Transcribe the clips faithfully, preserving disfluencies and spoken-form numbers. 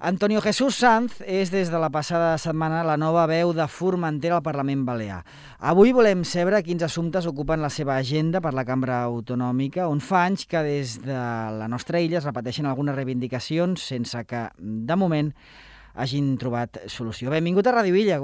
Antonio Jesús Sanz és des de la passada setmana la nova veu de Formentera al Parlament Balear. Avui volem saber quins assumptes ocupen la seva agenda per la cambra autonòmica, on fa anys que des de la nostra illa es repeteixen algunes reivindicacions sense que, de moment, hagin trobat solució. Benvingut a Ràdio Illa,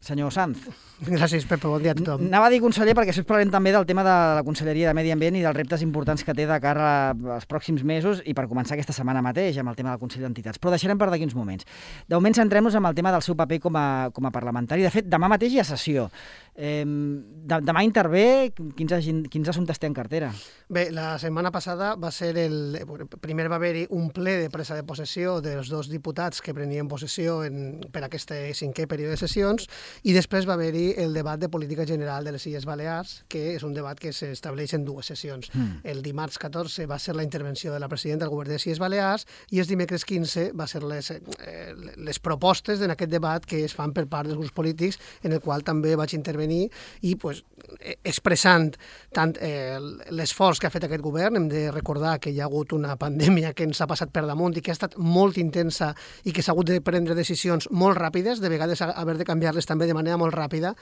senyor Sanz. Gràcies, Pepe. Bon dia a tothom. Anava a dir conseller perquè després parlem també del tema de la Conselleria de Medi Ambient i dels reptes importants que té de cara als pròxims mesos i per començar aquesta setmana mateix amb el tema del Consell d'Entitats. Però deixarem per d'aquí uns moments. De moment centrem-nos en el tema del seu paper com a, com a parlamentari. De fet, demà mateix hi ha sessió. Eh, de, demà intervé. Quins, quins assumptes té en cartera? Bé, la setmana passada va ser el... Primer va haver-hi un ple de presa de possessió dels dos diputats que prenien possessió en, per aquest cinquè període de sessions i després va haver-hi el debat de política general de les Illes Balears, que és un debat que s'estableix en dues sessions. Mm. El dimarts catorze va ser la intervenció de la presidenta del govern de les Illes Balears i el dimecres quinze va ser les, eh, les propostes en aquest debat que es fan per part dels grups polítics, en el qual també vaig intervenir i pues, expressant tant eh, l'esforç que ha fet aquest govern. Hem de recordar que hi ha hagut una pandèmia que ens ha passat per damunt i que ha estat molt intensa i que s'ha hagut de prendre decisions molt ràpides, de vegades haver de canviar-les també de manera molt ràpida,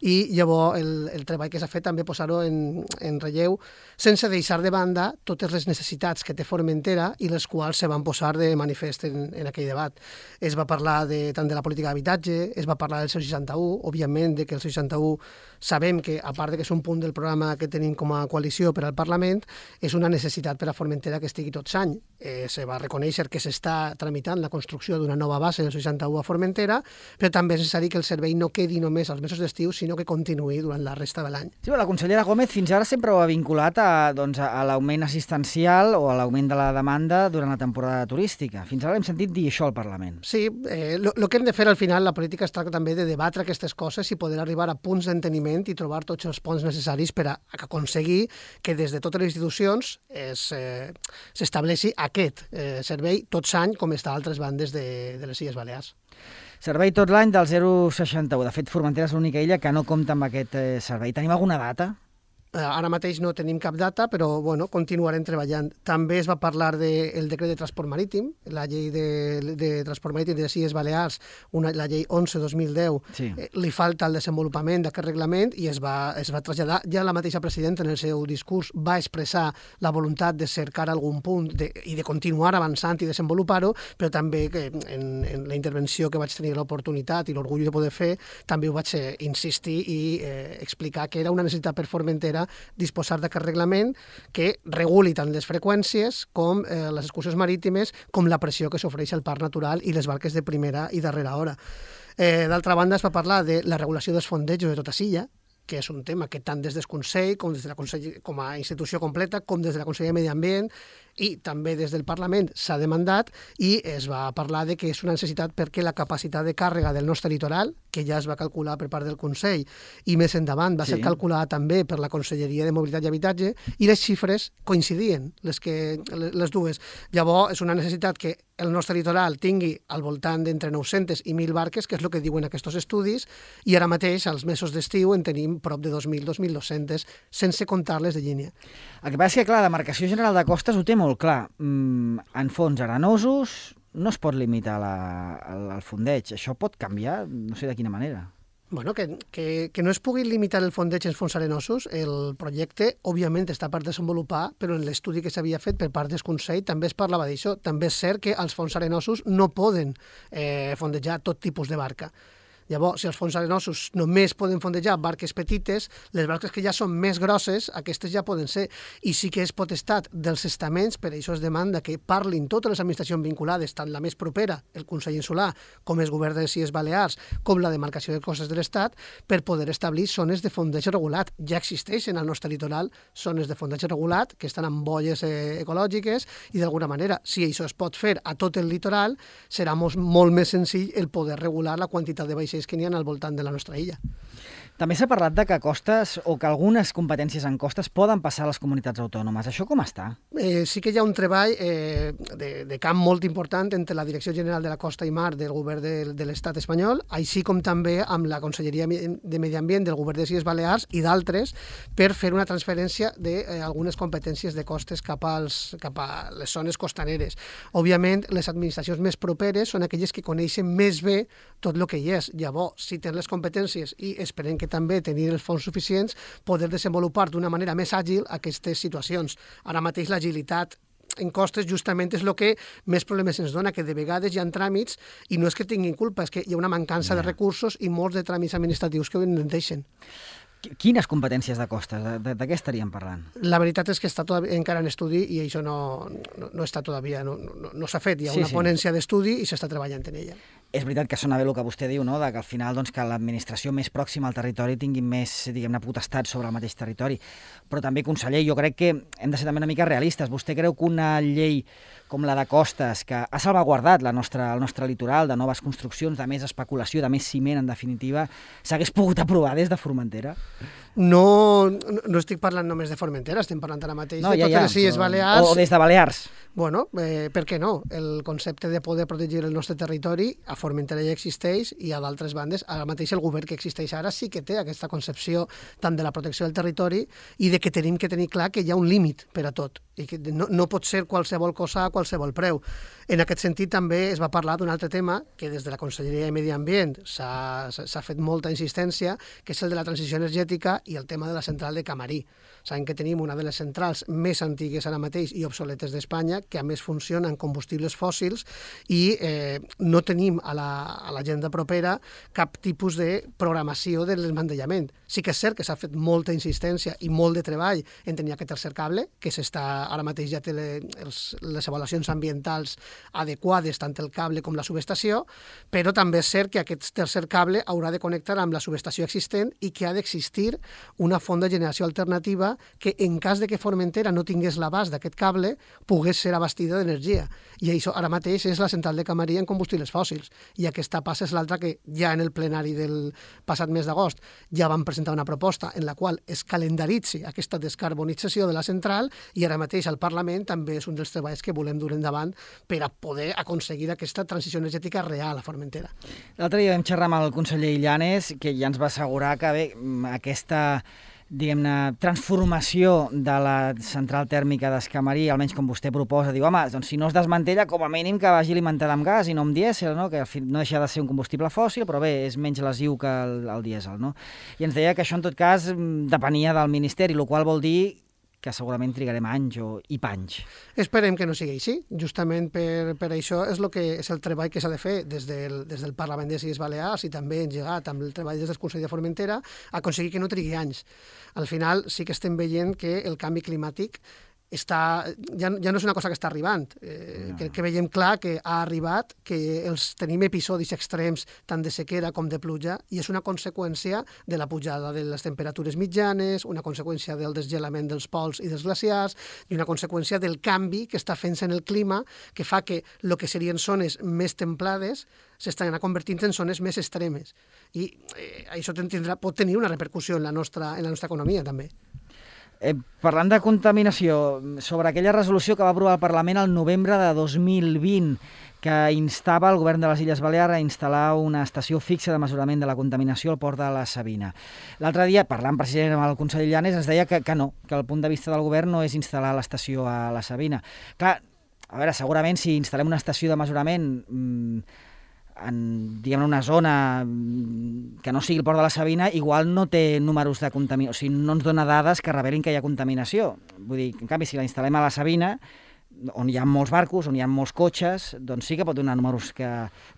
i llavors el, el treball que s'ha fet també posar-ho en, en relleu sense deixar de banda totes les necessitats que té Formentera i les quals se van posar de manifest en, en aquell debat. Es va parlar de, tant de la política d'habitatge, es va parlar del cent seixanta-u, òbviament de que el cent seixanta-u sabem que, a part de que és un punt del programa que tenim com a coalició per al Parlament, és una necessitat per a Formentera que estigui tot l'any. Eh, se va reconèixer que s'està tramitant la construcció d'una nova base del seixanta-u a Formentera, però també és necessari que el servei no quedi només als mesos d'estiu, sinó que continuï durant la resta de l'any. Sí, la consellera Gómez fins ara sempre ho ha vinculat a, doncs, a l'augment assistencial o a l'augment de la demanda durant la temporada turística. Fins ara hem sentit dir això al Parlament. Sí, eh, lo, lo que hem de fer al final, la política es tracta també de debatre aquestes coses i poder arribar a punts d'enteniment i trobar tots els ponts necessaris per a, a aconseguir que des de totes les institucions s'estableixi eh, aquest eh, servei tot l'any com està a altres bandes de, de les Illes Balears. Servei tot l'any del zero coma seixanta-u. De fet, Formentera és l'única illa que no compta amb aquest eh, servei. Tenim alguna data? Ara mateix no tenim cap data, però bueno, continuarem treballant. També es va parlar del de, decret de transport marítim, la llei de, de transport marítim de les Illes Balears, una, la llei onze dos mil deu, sí. eh, li falta el desenvolupament d'aquest reglament i es va, es va traslladar. Ja la mateixa presidenta en el seu discurs va expressar la voluntat de cercar algun punt de, i de continuar avançant i desenvolupar-ho, però també que en, en la intervenció que vaig tenir l'oportunitat i l'orgull de poder fer, també ho vaig eh, insistir i eh, explicar que era una necessitat per Formentera disposar d'aquest reglament que reguli tant les freqüències com eh, les excursions marítimes com la pressió que s'ofereix al parc natural i les barques de primera i darrera hora. Eh, D'altra banda, es va parlar de la regulació dels fondejos de tota l'illa, que és un tema que tant des del Consell com des de la Consell, com a institució completa com des de la Conselleria de Medi Ambient i també des del Parlament s'ha demandat i es va parlar de que és una necessitat perquè la capacitat de càrrega del nostre litoral, que ja es va calcular per part del Consell i més endavant va sí. ser calculada també per la Conselleria de Mobilitat i Habitatge i les xifres coincidien, les, que, les dues. Llavors és una necessitat que el nostre litoral tingui al voltant d'entre nou-centes i mil barques, que és el que diuen aquests estudis, i ara mateix, als mesos d'estiu, en tenim prop de dos mil a dos mil dos-centes, sense comptar-les de línia. El que passa és que, clar, la demarcació general de costes ho té molt clar. Mm, en fons arenosos no es pot limitar la, el, el fondeig. Això pot canviar, no sé de quina manera. Bueno, que, que, que no es pugui limitar el fondeig en fons arenosos, el projecte, òbviament, està per desenvolupar, però en l'estudi que s'havia fet per part del Consell també es parlava d'això. També és cert que els fons arenosos no poden eh, fondejar tot tipus de barca. Llavors, si els fons arenosos només poden fondejar barques petites, les barques que ja són més grosses, aquestes ja poden ser. I sí que és potestat dels estaments, per això es demanda que parlin totes les administracions vinculades, tant la més propera, el Consell Insular, com el Govern de les Illes Balears, com la demarcació de costes de l'Estat, per poder establir zones de fondeig regulat. Ja existeixen al nostre litoral zones de fondeig regulat, que estan amb bolles eh, ecològiques, i d'alguna manera, si això es pot fer a tot el litoral, serà molt, molt més senzill el poder regular la quantitat de vaixells que n'hi ha al voltant de la nostra illa. També s'ha parlat de que costes o que algunes competències en costes poden passar a les comunitats autònomes. Això com està? Eh, sí que hi ha un treball eh, de, de camp molt important entre la Direcció General de la Costa i Mar del Govern de, de l'Estat espanyol, així com també amb la Conselleria de Medi Ambient del Govern de les Illes Balears i d'altres, per fer una transferència d'algunes competències de costes cap, als, cap a les zones costaneres. Òbviament, les administracions més properes són aquelles que coneixen més bé tot el que hi és. Llavors, si tenen les competències i esperem que també tenir els fons suficients, poder desenvolupar d'una manera més àgil aquestes situacions. Ara mateix l'agilitat en costes justament és el que més problemes ens dona, que de vegades hi ha tràmits i no és que tinguin culpa, és que hi ha una mancança de recursos i molts de tràmits administratius que no en deixen. Quines competències de costes? De, de, de què estaríem parlant? La veritat és que està tot, encara en estudi i això no, no, no està todavía, no, no, no s'ha fet. Hi ha sí, una sí. ponència d'estudi i s'està treballant en ella. És veritat que sona bé el que vostè diu, no? De que al final doncs, que l'administració més pròxima al territori tingui més, diguem-ne, potestat sobre el mateix territori. Però també, conseller, jo crec que hem de ser també una mica realistes. Vostè creu que una llei com la de costes, que ha salvaguardat la nostra, el nostre litoral de noves construccions, de més especulació, de més ciment, en definitiva, s'hagués pogut aprovar des de Formentera? No, no, no estic parlant només de Formentera, estem parlant ara mateix no, de ja, totes ja, les Illes Balears. O des de Balears. Bueno, eh, per què no? El concepte de poder protegir el nostre territori a Formentera ja existeix i a d'altres bandes, ara mateix el govern que existeix ara sí que té aquesta concepció tant de la protecció del territori i de que tenim que tenir clar que hi ha un límit per a tot i que no, no pot ser qualsevol cosa a qualsevol preu. En aquest sentit també es va parlar d'un altre tema que des de la Conselleria de Medi Ambient s'ha fet molta insistència, que és el de la transició energètica i el tema de la central de Camarí. Sabem que tenim una de les centrals més antigues ara mateix i obsoletes d'Espanya, que a més funciona en combustibles fòssils i eh, no tenim a l'agenda la, propera cap tipus de programació del desmantellament. Sí que és cert que s'ha fet molta insistència i molt de treball en tenir aquest tercer cable, que s'està ara mateix ja té les, les avaluacions ambientals adequades, tant el cable com la subestació, però també és cert que aquest tercer cable haurà de connectar amb la subestació existent i que ha d'existir una font de generació alternativa que en cas de que Formentera no tingués l'abast d'aquest cable, pogués ser abastida d'energia. I això ara mateix és la central de Camarí en combustibles fòssils. I aquesta passa és l'altra que ja en el plenari del passat mes d'agost ja van presentar una proposta en la qual es calendaritzi aquesta descarbonització de la central i ara mateix al Parlament també és un dels treballs que volem dur endavant per a poder aconseguir aquesta transició energètica real a Formentera. L'altre dia vam xerrar amb el conseller Illanes, que ja ens va assegurar que bé, aquesta diguem-ne, transformació de la central tèrmica d'Escamarí, almenys com vostè proposa, diu, home, doncs si no es desmantella, com a mínim que vagi alimentada amb gas i no amb dièsel, no? Que no deixa de ser un combustible fòssil, però bé, és menys lesiu que el, el dièsel, no? I ens deia que això, en tot cas, depenia del Ministeri, el qual vol dir que segurament trigarem anys o, i panys. Esperem que no sigui així. Justament per, per això és, lo que, és el treball que s'ha de fer des del, des del Parlament de les Illes Balears i també engegat amb el treball des del Consell de Formentera, aconseguir que no trigui anys. Al final sí que estem veient que el canvi climàtic està, ja, ja no és una cosa que està arribant, eh, no. que, que veiem clar que ha arribat, que els tenim episodis extrems tant de sequera com de pluja i és una conseqüència de la pujada de les temperatures mitjanes, una conseqüència del desgelament dels pols i dels glaciars i una conseqüència del canvi que està fent-se en el clima que fa que el que serien zones més templades s'estan convertint en zones més extremes i eh, això tindrà, pot tenir una repercussió en la nostra, en la nostra economia també. Eh, parlant de contaminació, sobre aquella resolució que va aprovar el Parlament el novembre de dos mil vint, que instava el govern de les Illes Balears a instal·lar una estació fixa de mesurament de la contaminació al port de la Sabina. L'altre dia, parlant precisament amb el conseller Illanes, ens deia que, que no, que el punt de vista del govern no és instal·lar l'estació a la Sabina. Clar, a veure, segurament si instal·lem una estació de mesurament mmm, en diguem, una zona que no sigui el port de la Sabina, igual no té números de contaminació, o sigui, no ens dona dades que revelin que hi ha contaminació. Vull dir, en canvi, si la instal·lem a la Sabina, on hi ha molts barcos, on hi ha molts cotxes, doncs sí que pot donar números que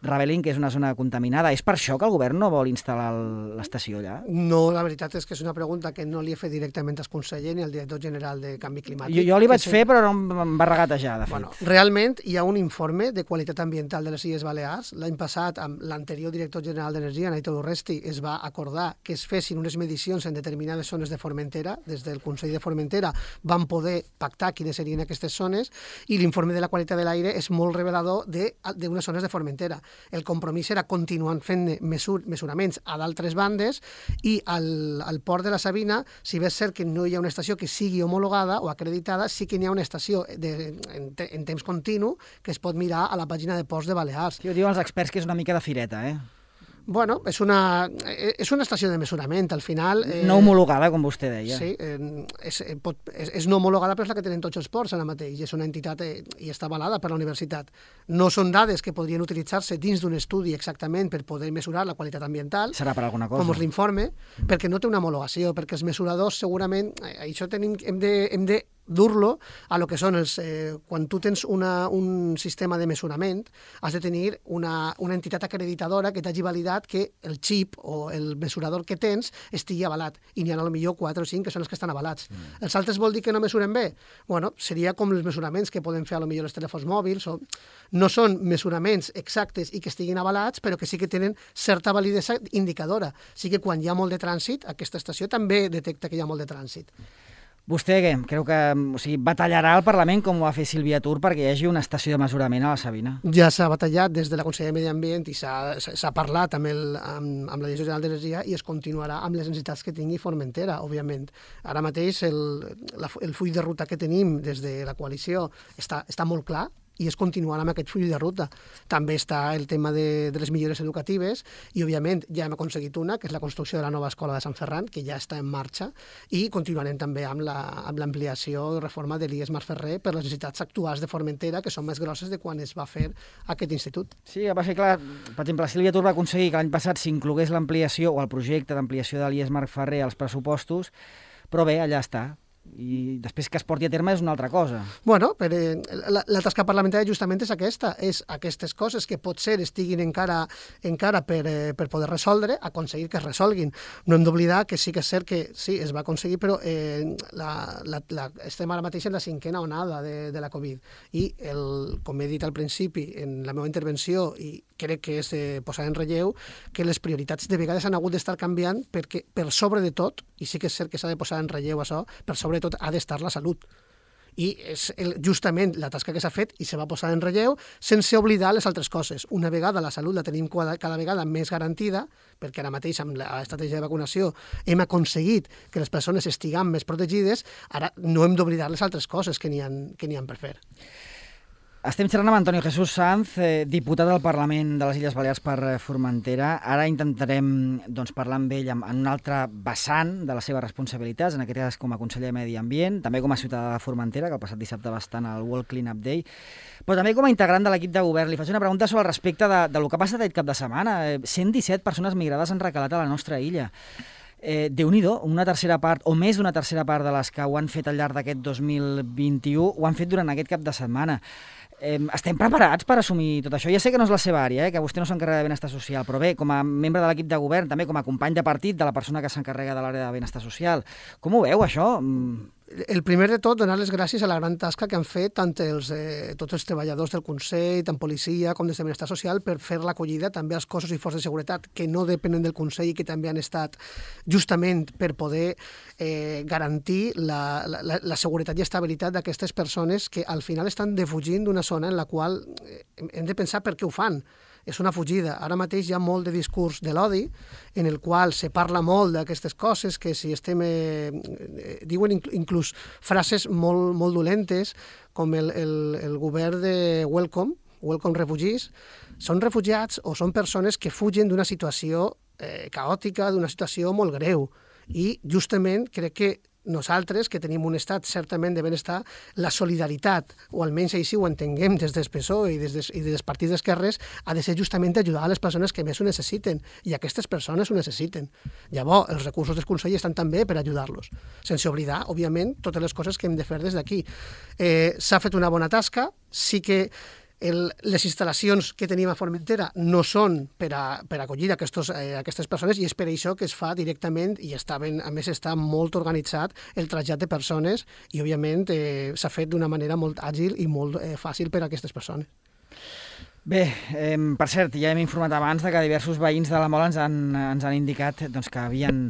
revelin que és una zona contaminada. És per això que el govern no vol instal·lar l'estació allà? No, la veritat és que és una pregunta que no li he fet directament al conseller ni al director general de Canvi Climàtic. Jo, jo li vaig fer, però no em va regatejar, de fet. Bueno, realment hi ha un informe de qualitat ambiental de les Illes Balears. L'any passat, amb l'anterior director general d'Energia, Naito Urresti, es va acordar que es fessin unes medicions en determinades zones de Formentera. Des del Consell de Formentera van poder pactar quines serien aquestes zones i l'informe de la qualitat de l'aire és molt revelador d'unes zones de Formentera. El compromís era continuar fent mesur, mesuraments a d'altres bandes i al, al port de la Sabina, si bé és cert que no hi ha una estació que sigui homologada o acreditada, sí que n'hi ha una estació de, en, en temps continu que es pot mirar a la pàgina de ports de Balears. Sí, ho diuen els experts que és una mica de fireta, eh? Bueno, és una, és una estació de mesurament, al final... Eh, no homologada, com vostè deia. Sí, eh, és, pot, és, és no homologada, però és la que tenen tots els ports ara mateix, i és una entitat eh, i està avalada per la universitat. No són dades que podrien utilitzar-se dins d'un estudi exactament per poder mesurar la qualitat ambiental. Serà per alguna cosa. Com és l'informe, perquè no té una homologació, perquè els mesuradors segurament... Eh, això tenim, hem de... Hem de dur-lo a lo que són els... Eh, quan tu tens una, un sistema de mesurament, has de tenir una, una entitat acreditadora que t'hagi validat que el xip o el mesurador que tens estigui avalat. I n'hi ha potser quatre o cinc que són els que estan avalats. Mm. Els altres vol dir que no mesuren bé? Bueno, seria com els mesuraments que poden fer potser els telèfons mòbils. O... No són mesuraments exactes i que estiguin avalats, però que sí que tenen certa validesa indicadora. Sí que quan hi ha molt de trànsit, aquesta estació també detecta que hi ha molt de trànsit. Vostè què? Creu que o sigui, batallarà al Parlament com ho va fer Sílvia Tur perquè hi hagi una estació de mesurament a la Sabina? Ja s'ha batallat des de la Conselleria de Medi Ambient i s'ha parlat amb, el, amb, amb la Direcció General d'Energia i es continuarà amb les necessitats que tingui Formentera, òbviament. Ara mateix el, la, el full de ruta que tenim des de la coalició està, està molt clar, i es continuarà amb aquest full de ruta. També està el tema de, de les millores educatives i, òbviament, ja hem aconseguit una, que és la construcció de la nova escola de Sant Ferran, que ja està en marxa, i continuarem també amb l'ampliació i reforma de l'I E S Marferrer per les necessitats actuals de Formentera, que són més grosses de quan es va fer aquest institut. Sí, va ser clar. Per exemple, Sílvia Tur va aconseguir que l'any passat s'inclogués l'ampliació o el projecte d'ampliació de l'I E S Marferrer als pressupostos, però bé, allà està. I després que es porti a terme és una altra cosa. Bueno, però la, la tasca parlamentària justament és aquesta, és aquestes coses que potser estiguin encara, encara per, eh, per poder resoldre, aconseguir que es resolguin. No hem d'oblidar que sí que és cert que sí, es va aconseguir, però eh, la, la, la, estem ara mateix en la cinquena onada de, de la Covid i, el, com he dit al principi en la meva intervenció, i crec que és eh, posar en relleu, que les prioritats de vegades han hagut d'estar canviant perquè per sobre de tot, i sí que és cert que s'ha de posar en relleu això, per sobre de tot ha d'estar la salut. I és el, justament la tasca que s'ha fet i se va posar en relleu sense oblidar les altres coses. Una vegada la salut la tenim cada, cada vegada més garantida, perquè ara mateix amb l'estratègia de vacunació hem aconseguit que les persones estiguin més protegides, ara no hem d'oblidar les altres coses que n'hi ha, que n'hi ha per fer. Estem xerrant amb Antonio Jesús Sanz, eh, diputat del Parlament de les Illes Balears per Formentera. Ara intentarem doncs, parlar amb ell en un altre vessant de les seves responsabilitats, en aquest cas com a conseller de Medi Ambient, també com a ciutadà de Formentera, que el passat dissabte va estar al World Cleanup Day, però també com a integrant de l'equip de govern. Li faig una pregunta sobre el respecte de, de lo que ha passat aquest cap de setmana. cent disset persones migrades han recalat a la nostra illa. Eh, Déu-n'hi-do, una tercera part, o més d'una tercera part de les que ho han fet al llarg d'aquest dos mil vint-i-u, ho han fet durant aquest cap de setmana. Eh, estem preparats per assumir tot això? Ja sé que no és la seva àrea, eh, que vostè no s'encarrega de benestar social, però bé, com a membre de l'equip de govern, també com a company de partit de la persona que s'encarrega de l'àrea de benestar social, com ho veu, això? El primer de tot, donar les gràcies a la gran tasca que han fet tant els, eh, tots els treballadors del Consell, tant policia com des de benestar social, per fer l'acollida també als cossos i forces de seguretat que no depenen del Consell i que també han estat justament per poder eh, garantir la, la, la seguretat i estabilitat d'aquestes persones que al final estan defugint d'una zona en la qual hem de pensar per què ho fan. És una fugida. Ara mateix hi ha molt de discurs de l'odi, en el qual se parla molt d'aquestes coses, que si estem... Eh, diuen inclús frases molt, molt dolentes, com el, el, el govern de Welcome, Welcome Refugees, són refugiats o són persones que fugen d'una situació eh, caòtica, d'una situació molt greu. I justament crec que nosaltres, que tenim un estat certament de benestar, la solidaritat, o almenys així ho entenguem des del P S O E i des, des, i des dels partits d'esquerres, ha de ser justament ajudar a les persones que més ho necessiten, i aquestes persones ho necessiten. Llavors, els recursos del Consell estan també per ajudar-los, sense oblidar, òbviament, totes les coses que hem de fer des d'aquí. Eh, s'ha fet una bona tasca, sí que El, les instal·lacions que tenim a Formentera no són per a, per a acollir aquestos, eh, aquestes persones, i és per això que es fa directament, i està ben, a més està molt organitzat el trasllat de persones, i òbviament eh, s'ha fet d'una manera molt àgil i molt eh, fàcil per a aquestes persones. Bé, eh, per cert, ja hem informat abans de que diversos veïns de la Mola ens han, ens han indicat doncs, que havien,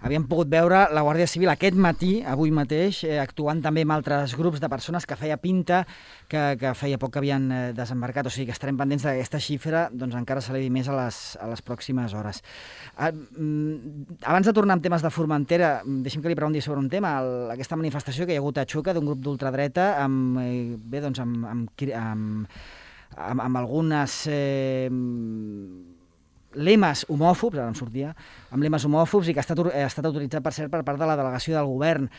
havien pogut veure la Guàrdia Civil aquest matí, avui mateix, eh, actuant també amb altres grups de persones que feia pinta que, que feia poc que havien eh, desembarcat. O sigui que estarem pendents d'aquesta xifra, doncs encara s'elevi més a les, a les pròximes hores. Eh, abans de tornar amb temes de Formentera, deixem que li pregunti sobre un tema, el, aquesta manifestació que hi ha hagut a Xuca d'un grup d'ultradreta amb, eh, bé, doncs amb, amb, amb amb, amb algunes eh, lemes homòfobs, ara em sortia, amb lemes homòfobs i que ha estat, ha estat autoritzat, per cert, per part de la delegació del govern.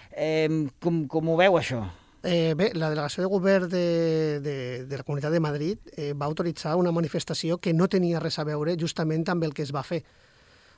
Eh, com, com ho veu, això? Eh, bé, la delegació de govern de, de, de la Comunitat de Madrid eh, va autoritzar una manifestació que no tenia res a veure justament amb el que es va fer.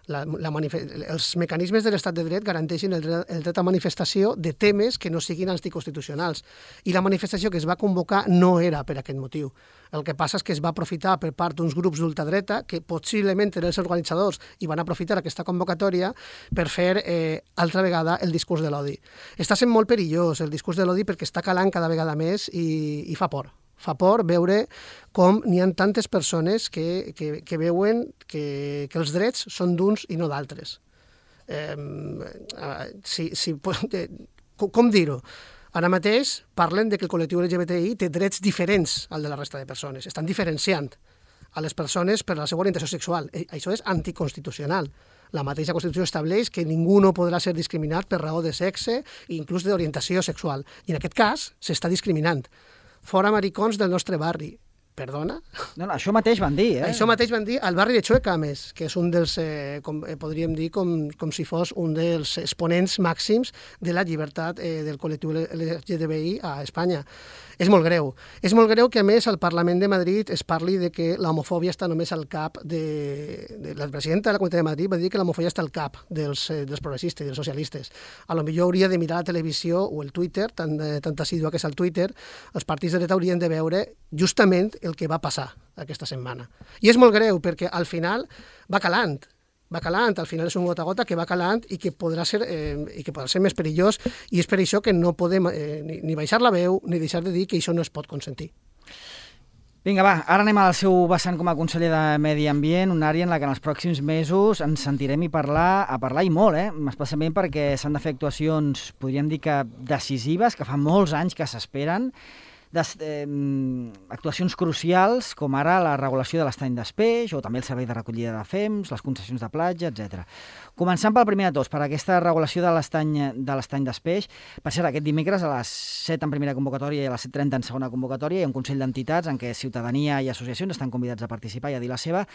La, la els mecanismes de l'estat de dret garanteixen el dret, el dret a manifestació de temes que no siguin anticonstitucionals. I la manifestació que es va convocar no era per aquest motiu. El que passa és que es va aprofitar per part d'uns grups d'ultradreta que possiblement eren els organitzadors i van aprofitar aquesta convocatòria per fer eh, altra vegada el discurs de l'odi. Està sent molt perillós el discurs de l'odi perquè està calant cada vegada més i, i fa por. Fa por veure com n'hi ha tantes persones que, que, que veuen que, que els drets són d'uns i no d'altres. Eh, si, si, com dir-ho? Ara mateix parlen de que el col·lectiu L G B T I té drets diferents al de la resta de persones. Estan diferenciant a les persones per la seva orientació sexual. Això és anticonstitucional. La mateixa Constitució estableix que ningú no podrà ser discriminat per raó de sexe i inclús d'orientació sexual. I en aquest cas s'està discriminant. Fora maricons del nostre barri. Perdona? No, no, això mateix van dir, eh? Això mateix van dir al barri de Xueca, a més, que és un dels, eh, com, eh, podríem dir, com, com si fos un dels exponents màxims de la llibertat eh, del col·lectiu L G B T I a Espanya. És molt greu. És molt greu que, a més, al Parlament de Madrid es parli de que l'homofòbia està només al cap de... de la presidenta de la Comunitat de Madrid va dir que l'homofòbia està al cap dels, eh, dels progressistes i dels socialistes. A lo millor hauria de mirar la televisió o el Twitter, tan, eh, tan assidua que és el Twitter, els partits de dreta haurien de veure justament el que va passar aquesta setmana. I és molt greu perquè al final va calant. va calant, al final és un gota a gota que va calant i que podrà ser, eh, i que podrà ser més perillós, i és per això que no podem eh, ni, ni baixar la veu ni deixar de dir que això no es pot consentir. Vinga, va, ara anem al seu vessant com a conseller de Medi Ambient, una àrea en la que en els pròxims mesos ens sentirem i parlar, a parlar i molt, eh? Especialment perquè s'han de fer actuacions, podríem dir que decisives, que fa molts anys que s'esperen, Des, eh, actuacions crucials com ara la regulació de l'estany d'espeix o també el servei de recollida de fems, les concessions de platja, etcètera. Començant pel primer de tots, per aquesta regulació de l'estany de l'estany d'espeix. Per cert, aquest dimecres a les set en primera convocatòria i a les set trenta en segona convocatòria hi ha un Consell d'Entitats en què ciutadania i associacions estan convidats a participar i a dir la seva.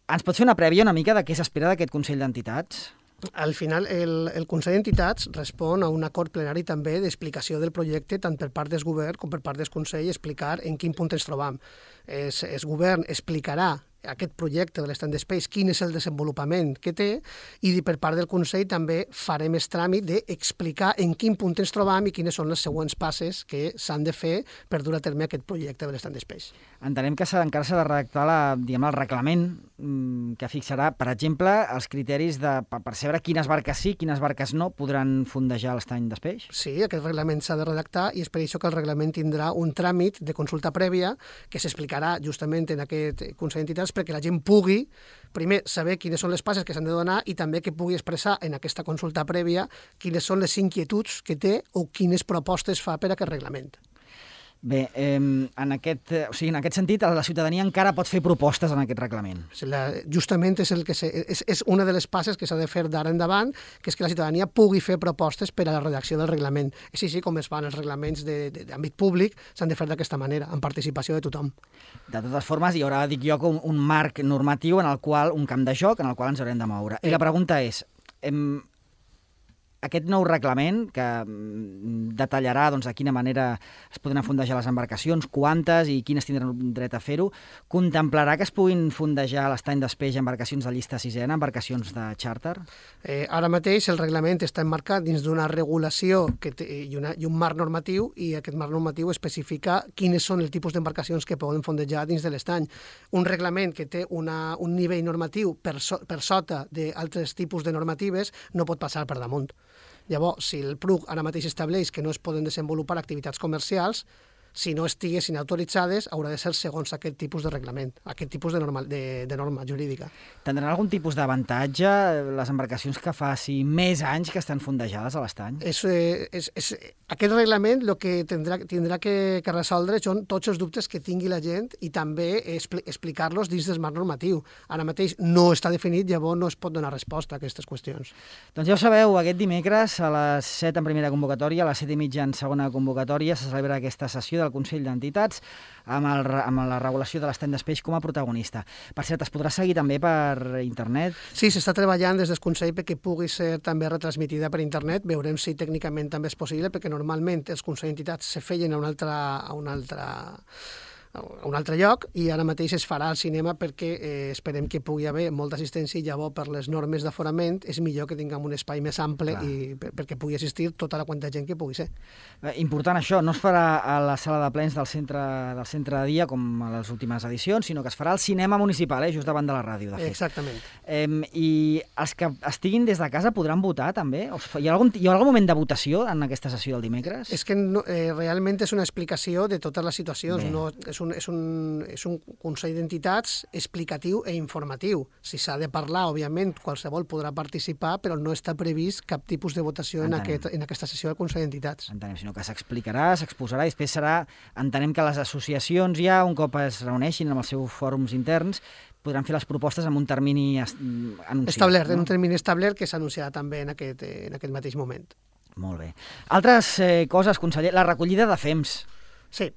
Ens pot fer una prèvia una mica de què s'espera d'aquest Consell d'Entitats? Al final, el, el Consell d'Entitats respon a un acord plenari també d'explicació del projecte tant per part del govern com per part del Consell, explicar en quin punt ens trobam. Es, el govern explicarà aquest projecte de l'estany d'espais, quin és el desenvolupament que té, i per part del Consell també farem el tràmit d'explicar en quin punt ens trobam i quines són les següents passes que s'han de fer per dur a terme aquest projecte de l'estany d'espais. Entenem que encara s'ha de redactar la, diguem, el reglament mmm, que fixarà, per exemple, els criteris de, per percebre quines barques sí, quines barques no podran fondejar l'estany d'espeix. Sí, aquest reglament s'ha de redactar i és per això que el reglament tindrà un tràmit de consulta prèvia que s'explicarà justament en aquest Consell d'Entitats perquè la gent pugui, primer, saber quines són les passes que s'han de donar i també que pugui expressar en aquesta consulta prèvia quines són les inquietuds que té o quines propostes fa per a aquest reglament. Bé, eh, en, aquest, o sigui, en aquest sentit, la ciutadania encara pot fer propostes en aquest reglament. La, justament és, el que se, és, és una de les passes que s'ha de fer d'ara endavant, que és que la ciutadania pugui fer propostes per a la redacció del reglament. És així com es fan els reglaments d'àmbit públic, s'han de fer d'aquesta manera, amb participació de tothom. De totes formes, hi haurà, dic jo, un, un marc normatiu en el qual, un camp de joc en el qual ens haurem de moure. I la pregunta és, hem, aquest nou reglament que detallarà doncs, de quina manera es podran fondejar les embarcacions, quantes i quines tindran dret a fer-ho, contemplarà que es puguin fondejar a l'estany d'espeix embarcacions de llista sisena, embarcacions de xàrter? Eh, ara mateix el reglament està emmarcat dins d'una regulació que té, i, una, i un marc normatiu, i aquest marc normatiu especifica quines són els tipus d'embarcacions que poden fondejar dins de l'estany. Un reglament que té una, un nivell normatiu per, so, per sota d'altres tipus de normatives no pot passar per damunt. Llavors, si el P R U C ara mateix estableix que no es poden desenvolupar activitats comercials, si no estiguessin autoritzades, haurà de ser segons aquest tipus de reglament, aquest tipus de norma, de, de norma jurídica. Tindran algun tipus d'avantatge les embarcacions que faci més anys que estan fondejades a l'estany? És, és, és, aquest reglament el que tindrà, tindrà que, que resoldre són tots els dubtes que tingui la gent i també expli, explicar-los dins del marc normatiu. Ara mateix no està definit, llavors no es pot donar resposta a aquestes qüestions. Doncs ja ho sabeu, aquest dimecres a les set en primera convocatòria, a les set i mitja en segona convocatòria, se celebra aquesta sessió del Consell d'Entitats amb, el, amb la regulació de l'estany d'Espeix com a protagonista. Per cert, es podrà seguir també per internet? Sí, s'està treballant des del Consell perquè pugui ser també retransmitida per internet. Veurem si tècnicament també és possible, perquè normalment els Consells d'Entitats se feien a un altre, a un altre, a un altre lloc i ara mateix es farà al cinema perquè eh, esperem que pugui haver molta assistència i llavors per les normes d'aforament és millor que tinguem un espai més ample Clar. i per, perquè pugui assistir tota la quanta gent que pugui ser. Eh, important això, no es farà a la sala de plens del centre, del centre de dia com a les últimes edicions, sinó que es farà al cinema municipal, eh, just davant de la ràdio, de fet. Exactament. Eh, I els que estiguin des de casa podran votar també? Hi ha algun, hi ha algun moment de votació en aquesta sessió del dimecres? És que no, eh, realment és una explicació de totes les situacions, Bé. no és un, és un, és un Consell d'Entitats explicatiu i informatiu. Si s'ha de parlar, òbviament, qualsevol podrà participar, però no està previst cap tipus de votació en, aquest, en aquesta sessió del Consell d'Entitats. Entenem, sinó que s'explicarà, s'exposarà i després serà, entenem que les associacions ja, un cop es reuneixin amb els seus fòrums interns, podran fer les propostes amb un termini anunciat. Establert, no? en un termini establert que s'anunciarà també en aquest, en aquest mateix moment. Molt bé. Altres eh, coses, conseller, la recollida de fems. Sí.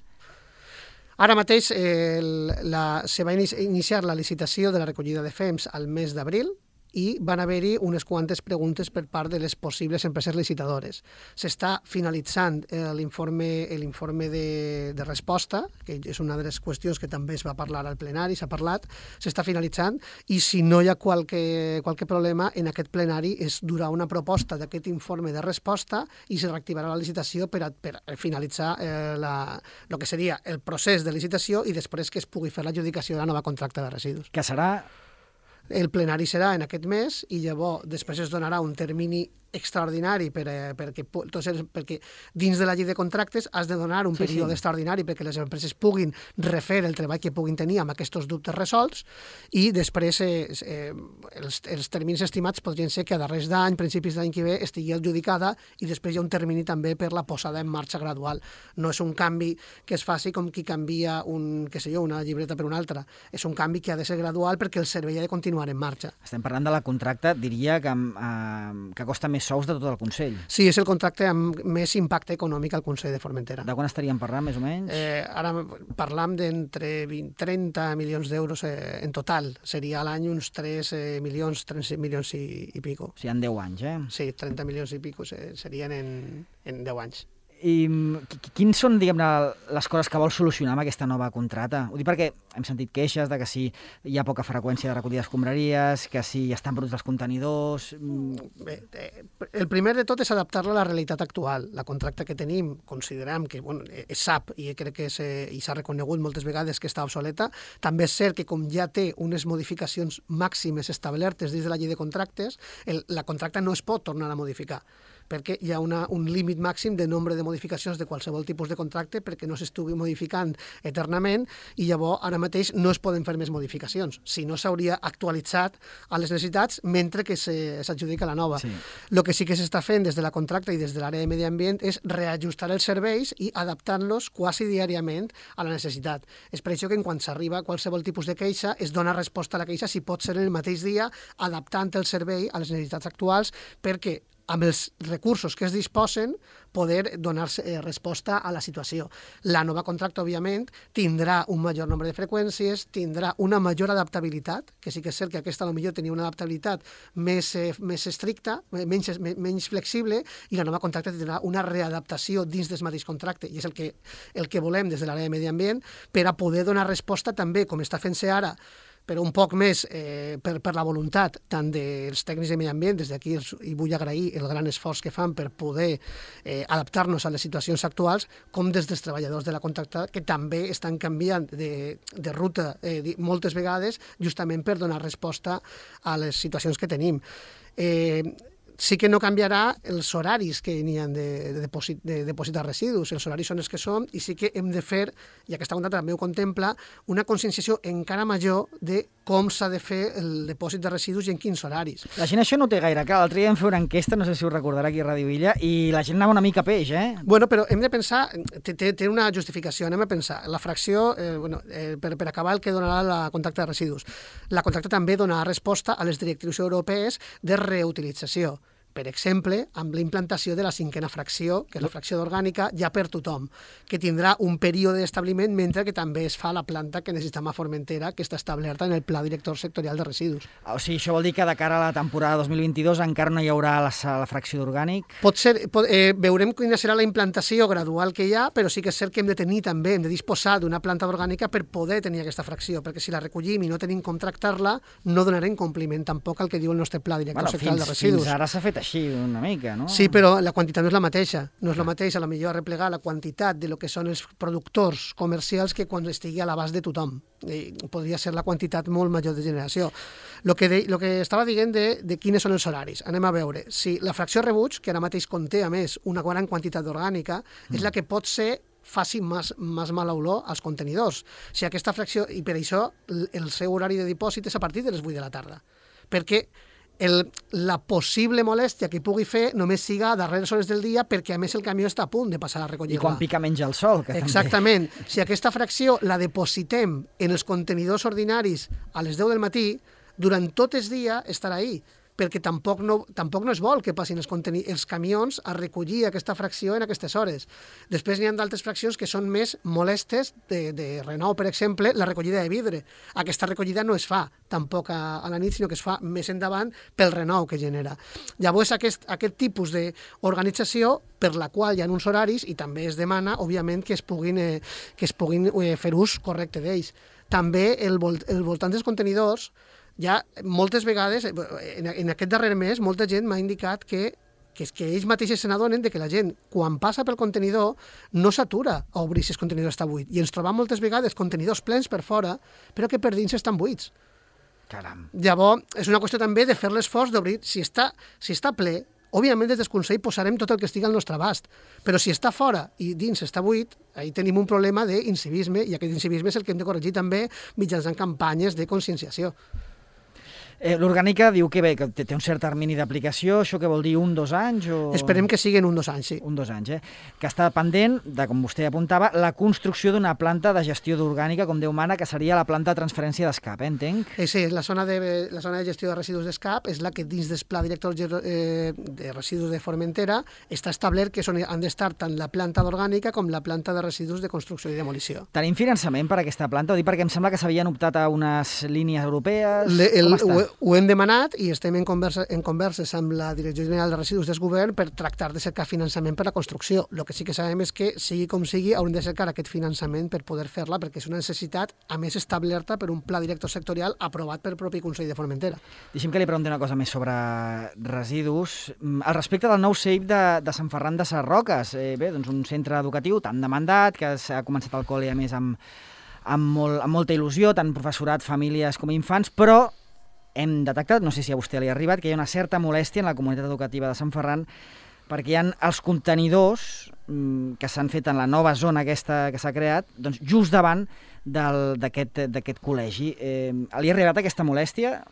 Ara mateix eh, la, se va iniciar la licitació de la recollida de fems al mes d'abril i van haver-hi unes quantes preguntes per part de les possibles empreses licitadores. S'està finalitzant l'informe l'informe de, de resposta, que és una de les qüestions que també es va parlar al plenari, s'ha parlat, s'està finalitzant, i si no hi ha qualque, qualque problema, en aquest plenari es durà una proposta d'aquest informe de resposta i se reactivarà la licitació per, a, per finalitzar eh, la, el que seria el procés de licitació i després que es pugui fer l'adjudicació de la nova contracta de residus. Que serà... El plenari serà en aquest mes i llavors després es donarà un termini extraordinari per, eh, perquè, perquè dins de la llei de contractes has de donar un sí, període sí. extraordinari perquè les empreses puguin refer el treball que puguin tenir amb aquests dubtes resolts i després eh, eh, els, els terminis estimats podrien ser que a darrers d'any, principis d'any que ve, estigui adjudicada i després hi ha un termini també per la posada en marxa gradual. No és un canvi que es faci com qui canvia un, què sé jo, una llibreta per una altra. És un canvi que ha de ser gradual perquè el servei ha de continuar en marxa. Estem parlant de la contracta, diria que, eh, que costa més sous de tot el Consell. Sí, és el contracte amb més impacte econòmic al Consell de Formentera. De quan estaríem parlant, més o menys? Eh, ara parlam d'entre trenta milions d'euros eh, en total. Seria a l'any uns tres eh, milions, tres milions i, i pico. O sigui, en deu anys, eh? Sí, trenta milions i pico eh, serien en, en deu anys. I quins són, diguem-ne, les coses que vol solucionar amb aquesta nova contracta? Ho dic perquè hem sentit queixes de que si hi ha poca freqüència de recollida d'escombraries, que si estan bruts els contenidors... Bé, el primer de tot és adaptar-la a la realitat actual. La contracta que tenim, considerem que bueno, és S A P i crec que s'ha reconegut moltes vegades que està obsoleta. També és cert que com ja té unes modificacions màximes establertes dins de la llei de contractes, el, la contracta no es pot tornar a modificar perquè hi ha una, un límit màxim de nombre de modificacions de qualsevol tipus de contracte perquè no s'estigui modificant eternament i llavors ara mateix no es poden fer més modificacions. Si no, s'hauria actualitzat a les necessitats mentre que s'adjudica la nova. Sí. El que sí que s'està fent des de la contracta i des de l'àrea de medi ambient és reajustar els serveis i adaptant-los quasi diàriament a la necessitat. És per això que en quan s'arriba a qualsevol tipus de queixa es dona resposta a la queixa si pot ser en el mateix dia adaptant el servei a les necessitats actuals perquè amb els recursos que es disposen, poder donar eh, resposta a la situació. La nova contracta, òbviament, tindrà un major nombre de freqüències, tindrà una major adaptabilitat, que sí que és cert que aquesta potser tenia una adaptabilitat més, eh, més estricta, menys, menys flexible, i la nova contracta tindrà una readaptació dins del mateix contracte, i és el que, el que volem des de l'àrea de medi ambient per a poder donar resposta també, com està fent-se ara, però un poc més eh, per, per la voluntat tant dels tècnics de medi ambient, des d'aquí i vull agrair el gran esforç que fan per poder eh, adaptar-nos a les situacions actuals, com des dels treballadors de la contracta, que també estan canviant de, de ruta eh, moltes vegades, justament per donar resposta a les situacions que tenim. Eh, sí que no canviarà els horaris que n'hi ha de, de, depòsit, de depositar residus. Els horaris són els que són i sí que hem de fer, i aquesta contracta també ho contempla, una conscienciació encara major de com s'ha de fer el depòsit de residus i en quins horaris. La gent això no té gaire clar. L'altre dia vam fer una enquesta, no sé si ho recordarà aquí a Ràdio Illa, i la gent anava una mica a peix, eh? Bueno, però hem de pensar, té, té una justificació, anem a pensar. La fracció, eh, bueno, eh, per, per acabar el que donarà la contracta de residus. La contracta també donarà resposta a les directrius europees de reutilització. Per exemple, amb la implantació de la cinquena fracció, que és la fracció d'orgànica, ja per tothom, que tindrà un període d'establiment mentre que també es fa la planta que necessitem a Formentera, que està establerta en el Pla Director Sectorial de Residus. O sigui, això vol dir que de cara a la temporada dos mil vint-i-dos encara no hi haurà la, la fracció d'orgànic? Pot ser, pot, eh, veurem quina serà la implantació gradual que hi ha, però sí que és cert que hem de tenir també, hem de disposar d'una planta d'orgànica per poder tenir aquesta fracció, perquè si la recollim i no tenim com tractar-la, no donarem compliment tampoc al que diu el nostre Pla Director bueno, Sectorial fins, de Residus. Fins ara s'ha fet així una mica, no? Sí, però la quantitat no és la mateixa. No és la mateixa, a la millor arreplegar la quantitat de lo que són els productors comercials que quan estigui a l'abast de tothom. I podria ser la quantitat molt major de generació. Lo que, de, lo que estava dient de, de quines són els horaris. Anem a veure. Si la fracció rebuig, que ara mateix conté, a més, una gran quantitat d'orgànica, mm. és la que pot ser faci més, més mala olor als contenidors. Si aquesta fracció, i per això el, el seu horari de dipòsit és a partir de les vuit de la tarda. Perquè El, la possible molèstia que pugui fer només siga a darreres hores del dia perquè a més el camió està a punt de passar a recollir-la. I quan pica menys el sol. Que Exactament. També... Si aquesta fracció la depositem en els contenidors ordinaris a les deu del matí, durant tot el dia estarà ahí, perquè tampoc no, tampoc no es vol que passin els, els camions a recollir aquesta fracció en aquestes hores. Després n'hi ha d'altres fraccions que són més molestes, de, de Renault, per exemple, la recollida de vidre. Aquesta recollida no es fa tampoc a, a la nit, sinó que es fa més endavant pel Renault que genera. Llavors, aquest, aquest tipus d'organització per la qual hi ha uns horaris i també es demana, òbviament, que es puguin, eh, que es puguin eh, fer ús correcte d'ells. També el, vol, el voltant dels contenidors, ja moltes vegades, en, en aquest darrer mes, molta gent m'ha indicat que, que, que ells mateixos se n'adonen de que la gent, quan passa pel contenidor, no s'atura a obrir si el contenidor està buit. I ens trobam moltes vegades contenidors plens per fora, però que per dins estan buits. Caram. Llavors, és una qüestió també de fer l'esforç d'obrir. Si està, si està ple, òbviament des del Consell posarem tot el que estigui al nostre abast, però si està fora i dins està buit, ahí tenim un problema d'incivisme, i aquest incivisme és el que hem de corregir també mitjançant campanyes de conscienciació. Eh, L'orgànica diu que bé, que té un cert termini d'aplicació, això què vol dir, un, dos anys? O... Esperem que siguin un, dos anys, sí. Un, dos anys, eh? Que està pendent, de com vostè apuntava, la construcció d'una planta de gestió d'orgànica, com Déu mana, que seria la planta de transferència d'escap, eh, entenc? Eh, sí, la zona, de, la zona de gestió de residus d'escap és la que dins del Pla Director eh, de Residus de Formentera està establert que són, han d'estar tant la planta d'orgànica com la planta de residus de construcció i demolició. Tenim finançament per a aquesta planta? Ho dic perquè em sembla que s'havien optat a unes línies europees. Le, el, com està? Ho hem demanat i estem en, conversa, en converses amb la Direcció General de Residus del Govern per tractar de cercar finançament per la construcció. El que sí que sabem és que, sigui com sigui, haurem de cercar aquest finançament per poder fer-la, perquè és una necessitat, a més, establerta per un pla director sectorial aprovat pel propi Consell de Formentera. Deixi'm que li pregunti una cosa més sobre residus. Al respecte del nou C E I P de, de Sant Ferran de Sarroques, eh, bé, doncs un centre educatiu tan demandat, que s'ha començat el col·le, a més, amb, amb, molt, amb molta il·lusió, tant professorat, famílies com infants, però hem detectat, no sé si a vostè li ha arribat, que hi ha una certa molèstia en la comunitat educativa de Sant Ferran perquè hi ha els contenidors mmm, que s'han fet en la nova zona aquesta que s'ha creat, doncs just davant d'aquest col·legi. Eh, li ha arribat aquesta molèstia?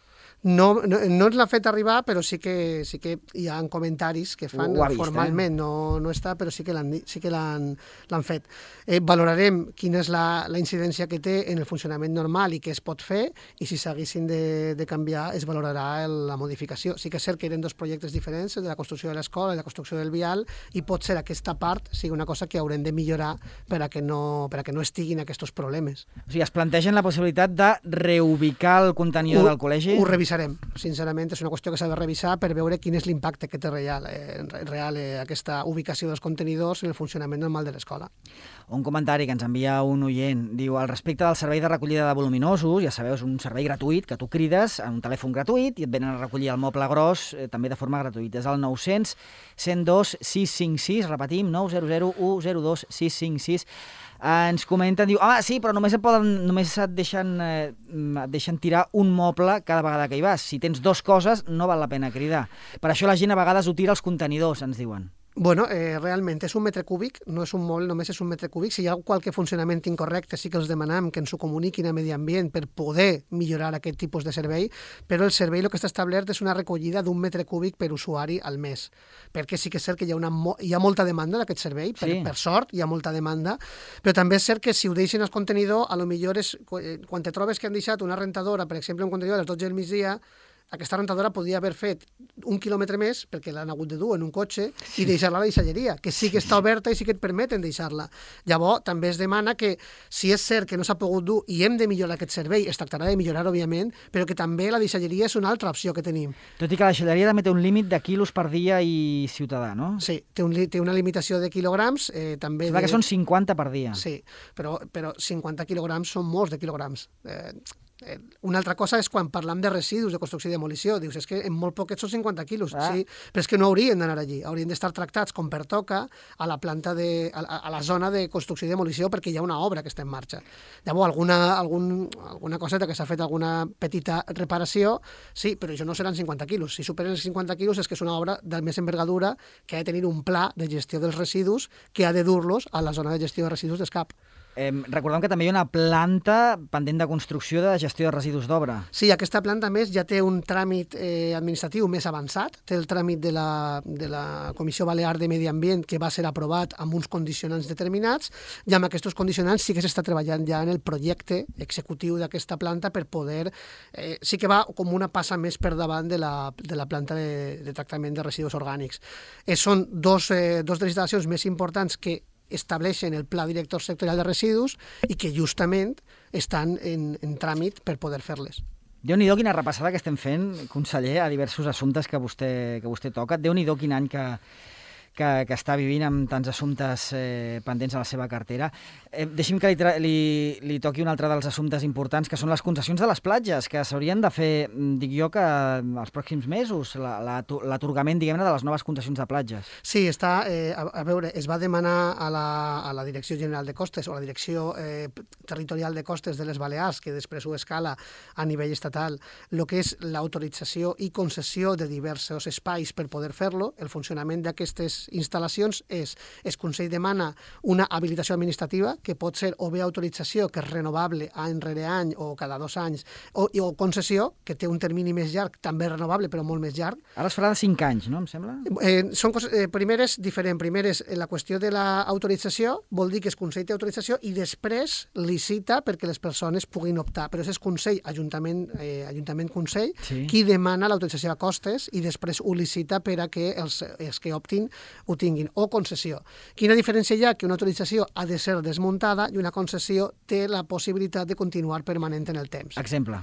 No, no, no ens l'ha fet arribar, però sí que, sí que hi ha comentaris que fan vist, formalment, eh? no, no està, però sí que l'han sí que l'han fet. Eh, valorarem quina és la, la incidència que té en el funcionament normal i què es pot fer, i si s'haguessin de, de canviar es valorarà el, la modificació. Sí que és cert que eren dos projectes diferents, el de la construcció de l'escola i la construcció del vial, i pot ser aquesta part sigui una cosa que haurem de millorar per a que no, per a que no estiguin aquests problemes. O sigui, es plantegen la possibilitat de reubicar el contenidor ho, del col·legi? Ho revisarem. Sincerament, és una qüestió que s'ha de revisar per veure quin és l'impacte que té real, eh, real eh, aquesta ubicació dels contenidors en el funcionament normal de l'escola. Un comentari que ens envia un oient. Diu, al respecte del servei de recollida de voluminosos, ja sabeu, és un servei gratuït que tu crides a un telèfon gratuït i et venen a recollir el moble gros eh, també de forma gratuïta. És el nou cents, cent dos, sis cinc sis, repetim, nou zero zero u zero dos sis cinc sis. ens comenten, diu, home, sí, però només et, poden, només et, deixen, eh, et deixen tirar un moble cada vegada que hi vas. Si tens dues coses, no val la pena cridar. Per això la gent a vegades ho tira als contenidors, ens diuen. Bueno, eh, realment és un metre cúbic, no és un moble, només és un metre cúbic. Si hi ha qualque funcionament incorrecte, sí que els demanem que ens ho comuniquin a Medi Ambient per poder millorar aquest tipus de servei, però el servei el que està establert és una recollida d'un metre cúbic per usuari al mes, perquè sí que és cert que hi ha, una, hi ha molta demanda d'aquest servei, per, sí. per sort hi ha molta demanda, però també és cert que si ho deixen al contenidor, a lo millor és, quan te trobes que han deixat una rentadora, per exemple, un contenidor a les dotze del migdia, aquesta rentadora podia haver fet un quilòmetre més, perquè l'han hagut de dur en un cotxe, sí. i deixar-la a la deixalleria, que sí que està oberta i sí que et permeten deixar-la. Llavors, també es demana que, si és cert que no s'ha pogut dur i hem de millorar aquest servei, es tractarà de millorar, òbviament, però que també la deixalleria és una altra opció que tenim. Tot i que la deixalleria també té un límit de quilos per dia i ciutadà, no? Sí, té, un, té una limitació de quilograms. Eh, també Sembla de... que són cinquanta per dia. Sí, però, però cinquanta quilograms són molts de quilograms. Eh, Una altra cosa és quan parlam de residus de construcció i demolició. Dius, és que en molt poquets són cinquanta quilos, ah. sí, però és que no haurien d'anar allí. Haurien d'estar tractats com pertoca a la planta de, a, a la zona de construcció i demolició perquè hi ha una obra que està en marxa. Llavors, alguna, algun, alguna coseta que s'ha fet, alguna petita reparació, sí, però això no seran cinquanta quilos. Si superen els cinquanta quilos és que és una obra de més envergadura que ha de tenir un pla de gestió dels residus que ha de dur-los a la zona de gestió de residus d'Escap. Eh, recordem que també hi ha una planta pendent de construcció de gestió de residus d'obra. Sí, aquesta planta, més, ja té un tràmit eh, administratiu més avançat. Té el tràmit de la, de la Comissió Balear de Medi Ambient, que va ser aprovat amb uns condicionants determinats, i amb aquests condicionants sí que s'està treballant ja en el projecte executiu d'aquesta planta per poder... Eh, sí que va com una passa més per davant de la, de la planta de, de tractament de residus orgànics. Eh, són dos, eh, dos de les instal·lacions més importants que estableixen el Pla Director Sectorial de Residus i que justament estan en, en tràmit per poder fer-les. Déu-n'hi-do quina repassada que estem fent, conseller, a diversos assumptes que vostè, que vostè toca. Déu-n'hi-do quin any que, que, que està vivint amb tants assumptes eh, pendents a la seva cartera. Eh, deixi'm que li, li, li toqui un altre dels assumptes importants, que són les concessions de les platges, que s'haurien de fer, dic jo, que els pròxims mesos, l'atorgament, diguem-ne, de les noves concessions de platges. Sí, està, eh, a, a veure, es va demanar a la, a la Direcció General de Costes o a la Direcció eh, Territorial de Costes de les Balears, que després ho escala a nivell estatal, el que és l'autorització i concessió de diversos espais per poder fer-lo. El funcionament d'aquestes instal·lacions és, el Consell demana una habilitació administrativa, que pot ser o bé autorització, que és renovable any rere any o cada dos anys, o, o concessió, que té un termini més llarg, també renovable, però molt més llarg. Ara es farà de cinc anys, no, em sembla? Eh, són coses, eh, primer és diferent. Primer és la qüestió de l'autorització, vol dir que el Consell té autorització i després licita perquè les persones puguin optar. Però és el Consell, Ajuntament, eh, Ajuntament-Consell, sí. qui demana l'autorització a costes i després ho licita per a que els, els que optin ho tinguin. O concessió. Quina diferència hi ha? Que una autorització ha de ser desmuntada i una concessió té la possibilitat de continuar permanent en el temps. Exemple.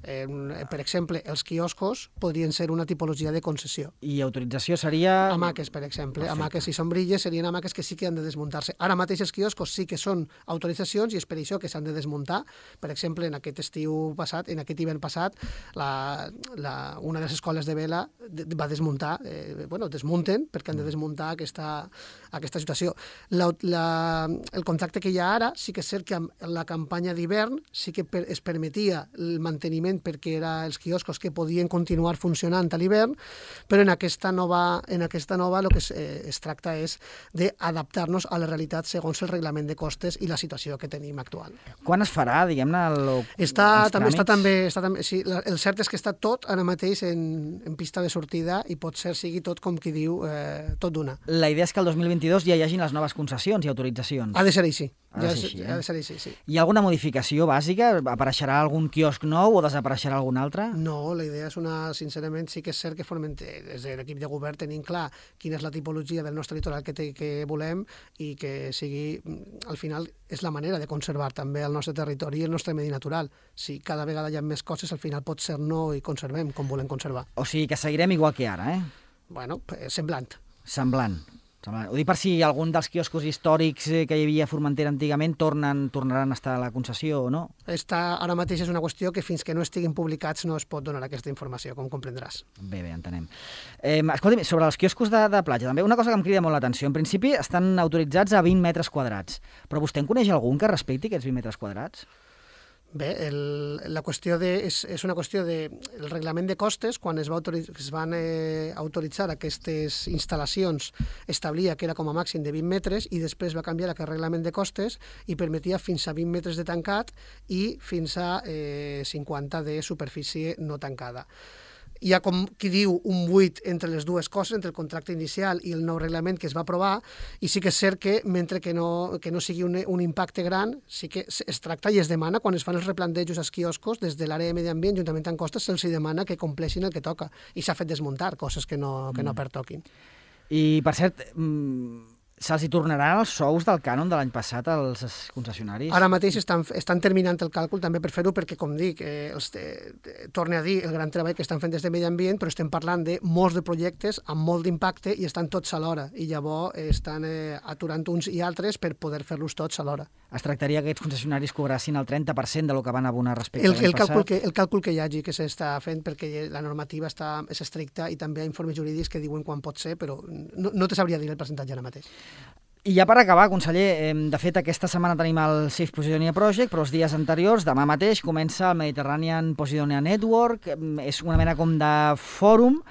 Eh, per exemple, els quioscos podrien ser una tipologia de concessió. I autorització seria... Hamaques, per exemple. Perfecte. Hamaques i sombrilles serien hamaques que sí que han de desmuntar-se. Ara mateix els quioscos sí que són autoritzacions i és per això que s'han de desmuntar. Per exemple, en aquest estiu passat, en aquest hivern passat, la, la, una de les escoles de vela va desmuntar, eh, bueno, desmunten perquè han de desmuntar aquesta, aquesta situació. La, la, el contracte que hi ha ara sí que és cert que amb la campanya d'hivern sí que per, es permetia el manteniment perquè eren els quioscos que podien continuar funcionant a l'hivern, però en aquesta nova, en aquesta nova el que es, eh, es tracta és d'adaptar-nos a la realitat segons el reglament de costes i la situació que tenim actual. Quan es farà, diguem-ne, el, està, els també, tràmits? Està també, està també, sí, el cert és que està tot ara mateix en, en pista de sortida i pot ser sigui tot, com qui diu, eh, tot d'una. La idea és que el dos mil vint-i-dos ja hi hagin les noves concessions i autoritzacions. Ha de ser així. Ha de Ja ser és, així, eh? ha de ser així, sí. Hi ha alguna modificació bàsica? Apareixerà algun quiosc nou o desapareixerà algun altre? No, la idea és una, sincerament, sí que és cert que formem, des de l'equip de govern tenim clar quina és la tipologia del nostre litoral que, te, que volem i que sigui, al final, és la manera de conservar també el nostre territori i el nostre medi natural. Si cada vegada hi ha més coses, al final pot ser no i conservem com volem conservar. O sigui que seguirem igual que ara, eh? Bueno, semblant. Semblant. Ho dic per si algun dels quioscos històrics que hi havia a Formentera antigament tornen, tornaran a estar a la concessió o no? Esta, ara mateix és una qüestió que fins que no estiguin publicats no es pot donar aquesta informació, com comprendràs. Bé, bé, entenem. Eh, escolta'm, sobre els quioscos de, de platja, també una cosa que em crida molt l'atenció. En principi estan autoritzats a vint metres quadrats, però vostè en coneix algun que respecti aquests vint metres quadrats? Bé, el, la qüestió de, és, és una qüestió de... El reglament de costes, quan es, va autoritzar, es van eh, autoritzar aquestes instal·lacions, establia que era com a màxim de vint metres i després va canviar aquest reglament de costes i permetia fins a vint metres de tancat i fins a eh, cinquanta de superfície no tancada. Hi ha, com qui diu, un buit entre les dues coses, entre el contracte inicial i el nou reglament que es va aprovar, i sí que és cert que, mentre que no, que no sigui un, un impacte gran, sí que es tracta i es demana, quan es fan els replantejos als quioscos, des de l'àrea de medi ambient, juntament amb costes, se'ls demana que compleixin el que toca, i s'ha fet desmuntar coses que no, que no pertoquin. I, per cert, se'ls hi tornaran els sous del cànon de l'any passat als concessionaris? Ara mateix estan, estan terminant el càlcul també per fer-ho perquè, com dic, eh, els, eh, torne a dir el gran treball que estan fent des de Medi Ambient, però estem parlant de molts de projectes amb molt d'impacte i estan tots alhora, i llavors eh, estan eh, aturant uns i altres per poder fer-los tots alhora. Es tractaria que aquests concessionaris cobrassin el trenta per cent de lo que van abonar respecte el, a l'any el càlcul passat? Que, el càlcul que hi hagi, que s'està fent, perquè la normativa està, és estricta i també hi ha informes jurídics que diuen quan pot ser, però no, no te sabria dir el percentatge ara mateix. I ja per acabar, conseller, de fet aquesta setmana tenim el Safe Posidonia Project, però els dies anteriors, demà mateix, comença el Mediterranean Posidonia Network, és una mena com de fòrum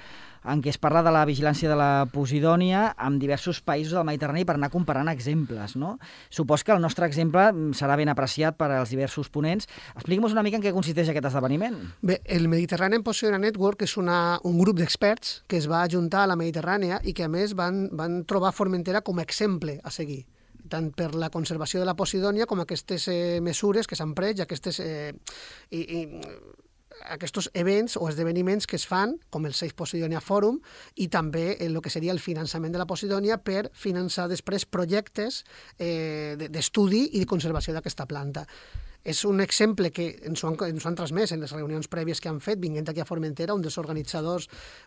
en què es parla de la vigilància de la Posidònia amb diversos països del Mediterrani per anar comparant exemples, no? Supos que el nostre exemple serà ben apreciat per als diversos ponents. Expliqui'm una mica en què consisteix aquest esdeveniment. Bé, el Mediterranean Posidonia Network és una, un grup d'experts que es va ajuntar a la Mediterrània i que, a més, van, van trobar Formentera com a exemple a seguir, tant per la conservació de la Posidònia com aquestes eh, mesures que s'han pres i aquestes... Eh, i, i, aquests events o esdeveniments que es fan, com el Safe Posidonia Forum, i també el que seria el finançament de la Posidònia per finançar després projectes eh, d'estudi i de conservació d'aquesta planta. És un exemple que ens ho, han, ens ho han transmès en les reunions prèvies que han fet, vinguent aquí a Formentera, un dels organitzadors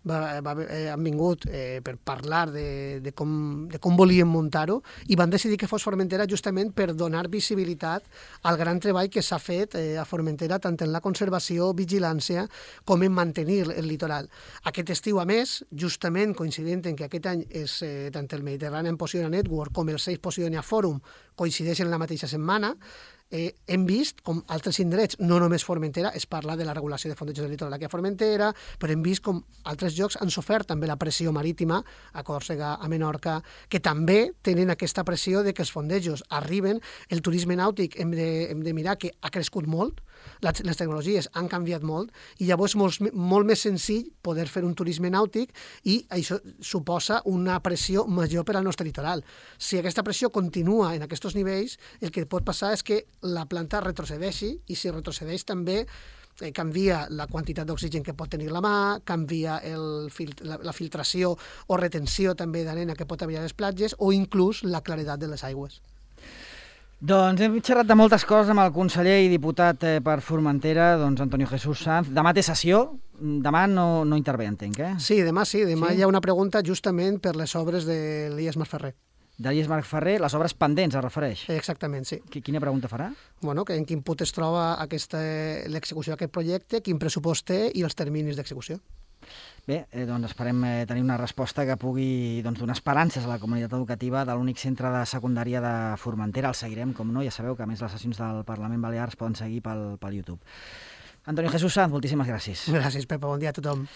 va, va, eh, han vingut eh, per parlar de, de, com, de com volien muntar-ho, i van decidir que fos Formentera justament per donar visibilitat al gran treball que s'ha fet eh, a Formentera, tant en la conservació, vigilància, com en mantenir el litoral. Aquest estiu, a més, justament coincidint en que aquest any és eh, tant el Mediterranean Posidonia Network com el Safe Posidonia Forum coincideixen en la mateixa setmana, Eh, hem vist com altres indrets, no només Formentera, es parla de la regulació de fondejos del litoral aquí a Formentera, però hem vist com altres llocs han sofert també la pressió marítima, a Còrsega, a Menorca, que també tenen aquesta pressió de que els fondejos arriben. El turisme nàutic hem de, hem de mirar que ha crescut molt, les, les tecnologies han canviat molt, i llavors és molt, molt més senzill poder fer un turisme nàutic, i això suposa una pressió major per al nostre litoral. Si aquesta pressió continua en aquests nivells, el que pot passar és que la planta retrocedeixi, i si retrocedeix també eh, canvia la quantitat d'oxigen que pot tenir la mà, canvia el fil la, la filtració o retenció també d'arena que pot haver a les platges, o inclús la claredat de les aigües. Doncs hem xerrat de moltes coses amb el conseller i diputat eh, per Formentera, doncs Antonio Jesús Sanz. Demà té sessió, demà no, no intervé, entenc, eh? Sí, demà sí, demà sí? Hi ha una pregunta justament per les obres de l'I E S Masferrer. D'I E S Masferrer, les obres pendents, es refereix? Exactament, sí. Quina pregunta farà? Bueno, que en quin punt es troba l'execució d'aquest projecte, quin pressupost té i els terminis d'execució. Bé, eh, doncs esperem eh, tenir una resposta que pugui doncs, donar esperances a la comunitat educativa de l'únic centre de secundària de Formentera. El seguirem, com no, ja sabeu que a més les sessions del Parlament Balear es poden seguir pel, pel YouTube. Antonio Jesús Sanz, moltíssimes gràcies. Gràcies, Pepa, bon dia a tothom.